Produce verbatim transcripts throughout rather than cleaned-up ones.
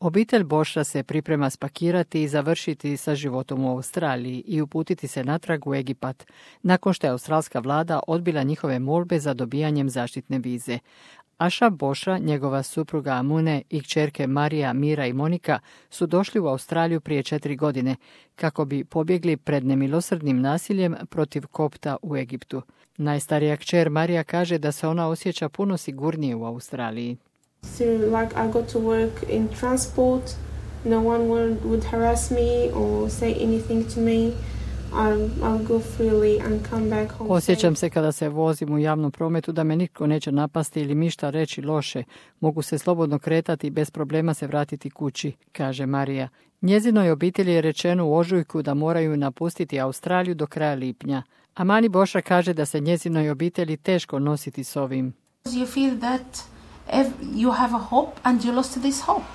Obitelj Bošra se priprema spakirati i završiti sa životom u Australiji i uputiti se natrag u Egipat, nakon što je australska vlada odbila njihove molbe za dobijanjem zaštitne vize. Aša Bošra, njegova supruga Amune i kćerke Marija, Mira i Monika su došli u Australiju prije četiri godine kako bi pobjegli pred nemilosrdnim nasiljem protiv kopta u Egiptu. Najstarija kćer Marija kaže da se ona osjeća puno sigurnije u Australiji. So, like, I got to work in transport, no one would, would harass me or say anything to me. I'll, I'll go freely and come back home. Osjećam se kada se vozim u javnom prometu da me nitko neće napasti ili mi šta reći loše. Mogu se slobodno kretati i bez problema se vratiti kući, kaže Marija. Njezinoj obitelji je rečeno u ožujku da moraju napustiti Australiju do kraja lipnja. Amani Bošra kaže da se njezinoj obitelji teško nositi s ovim. You feel that if you have a hope and you lost this hope.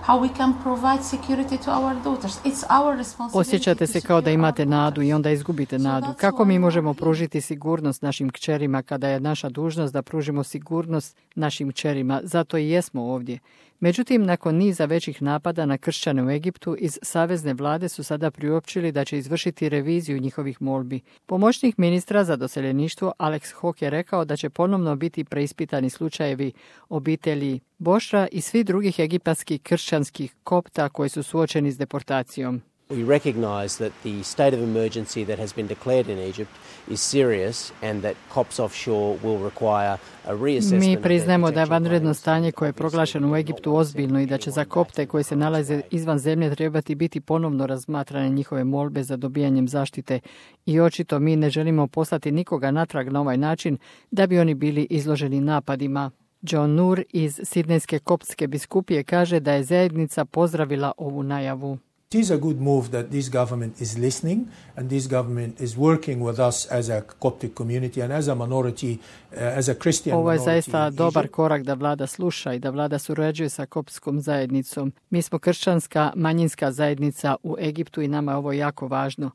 How we can provide security to our daughters. It's our responsibility. Osjećate se kao da imate nadu i onda izgubite nadu. Kako mi možemo pružiti sigurnost našim kćerima kada je naša dužnost da pružimo sigurnost našim kćerima? Zato i jesmo ovdje. Međutim, nakon niza većih napada na kršćane u Egiptu, iz savezne vlade su sada priopćili da će izvršiti reviziju njihovih molbi. Pomoćnik ministra za doseljeništvo Alex Hawke je rekao da će ponovno biti preispitani slučajevi obitelji Bošra i svih drugih egipatskih kršćanskih kopta koji su suočeni s deportacijom. We recognize that the state of emergency that has been declared in Egypt is serious and that COPS offshore will require a reassessment. Mi priznajemo da je vanredno stanje koje je proglašeno u Egiptu ozbiljno i da će za kopte koji se nalaze izvan zemlje trebati biti ponovno razmatrane njihove molbe za dobijanjem zaštite i očito mi ne želimo poslati nikoga natrag na ovaj način da bi oni bili izloženi napadima. John Nur iz Sidnejske koptske biskupije kaže da je zajednica pozdravila ovu najavu. It is a good move that this government is listening and this government is working with us as a Coptic community and as a minority, uh, as a Christian minority. Ovo je zaista dobar korak da vlada sluša i da vlada surađuje sa koptskom zajednicom. Mi smo kršćanska manjinska zajednica u Egiptu i nama je ovo jako važno.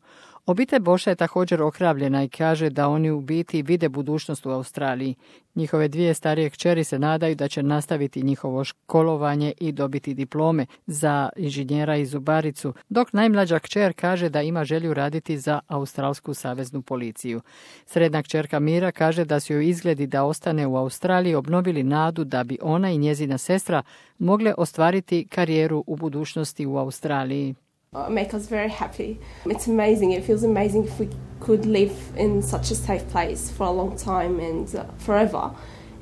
Obitelj Boša je također ohrabljena i kaže da oni u biti vide budućnost u Australiji. Njihove dvije starije kćeri se nadaju da će nastaviti njihovo školovanje i dobiti diplome za inženjera i zubaricu, dok najmlađa kćer kaže da ima želju raditi za Australsku saveznu policiju. Srednja kćerka Mira kaže da su joj izgledi da ostane u Australiji obnovili nadu da bi ona i njezina sestra mogle ostvariti karijeru u budućnosti u Australiji. Make us very happy. It's amazing. It feels amazing if we could live in such a safe place for a long time and uh, forever.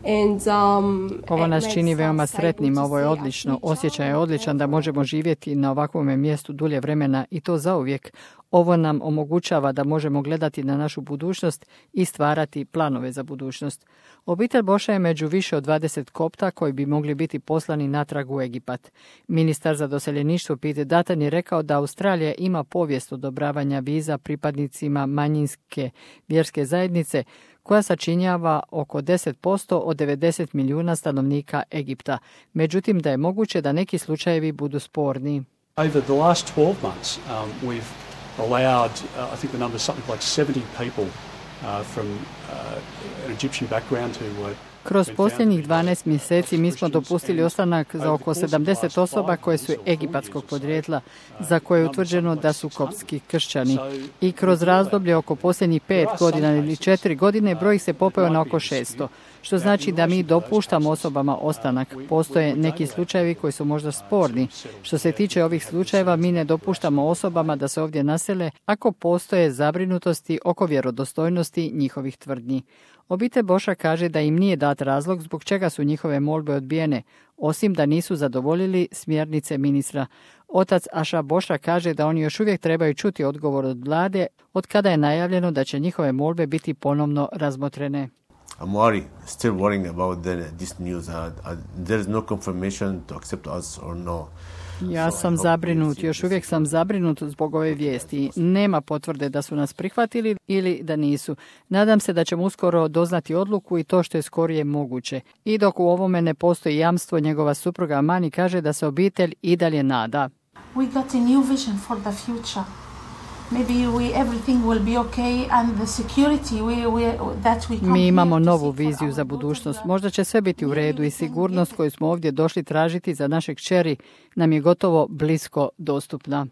And, um, Ovo nas čini veoma sretnim, ovo je odlično. Osjećaj je odličan da možemo živjeti na ovakvom mjestu dulje vremena i to zauvijek. Ovo nam omogućava da možemo gledati na našu budućnost i stvarati planove za budućnost. Obitelj Boša je među više od dvadeset kopta koji bi mogli biti poslani natrag u Egipat. Ministar za doseljeništvo Pete Dutton je rekao da Australija ima povijest odobravanja viza pripadnicima manjinske vjerske zajednice koja sačinjava oko deset posto od devedeset milijuna stanovnika Egipta. Međutim, da je moguće da neki slučajevi budu sporni. Over the last twelve months, um, we've allowed, uh, I think the number is something like seventy people uh, from uh, an Egyptian background who were Kroz posljednjih dvanaest mjeseci mi smo dopustili ostanak za oko sedamdeset osoba koje su egipatskog podrijetla, za koje je utvrđeno da su koptski kršćani. I kroz razdoblje oko posljednjih pet godina ili četiri godine broj se popeo na oko šesto, što znači da mi dopuštamo osobama ostanak. Postoje neki slučajevi koji su možda sporni. Što se tiče ovih slučajeva, mi ne dopuštamo osobama da se ovdje nasele ako postoje zabrinutosti oko vjerodostojnosti njihovih tvrdnji. Obitelj Boša kaže da im nije dat razlog zbog čega su njihove molbe odbijene, osim da nisu zadovoljili smjernice ministra. Otac Aša Boša kaže da oni još uvijek trebaju čuti odgovor od vlade od kada je najavljeno da će njihove molbe biti ponovno razmotrene. I'm worried, still worrying about the, this news. Uh, uh, there is no confirmation to accept us or no. Ja sam zabrinut, još uvijek sam zabrinut zbog ove vijesti. Nema potvrde da su nas prihvatili ili da nisu. Nadam se da ćemo uskoro doznati odluku i to što je skorije moguće. I dok u ovome ne postoji jamstvo, njegova supruga Amani kaže da se obitelj i dalje nada. We got a new vision for the future. maybe we, everything will be okay and the security we, we, that we come Mi imamo here to novu seek for viziju our za daughters budućnost. are- Možda će sve biti u redu i sigurnost koju smo ovdje došli tražiti za naše kćeri nam je gotovo blisko dostupna.